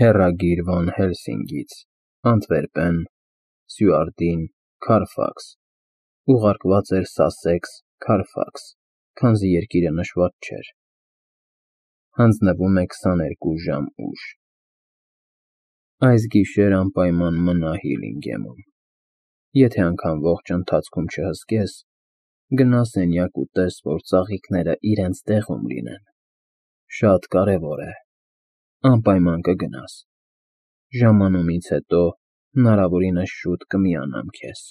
Հեռագիր Վան Հելսինգից, Անտվերպեն, Սյուարդին, Քարֆաքս, ուղարկված էր Սասեքս, Քարֆաքս, քանզի երկիրը նշված չէր, հանձնվում է 22 ժամ ուշ։ Այս գիշեր անպայման մնա Հիլինգեմում, եթե անգամ ողջ ընթացքում չհսկես, գնա սենյակ ու տես, որ ծաղիկները իրենց տեղում լինեն, շատ կարևոր է, անպայման կգնաս, ժամանումից հետո հնարավորինս շուտ կմիանամ քեզ։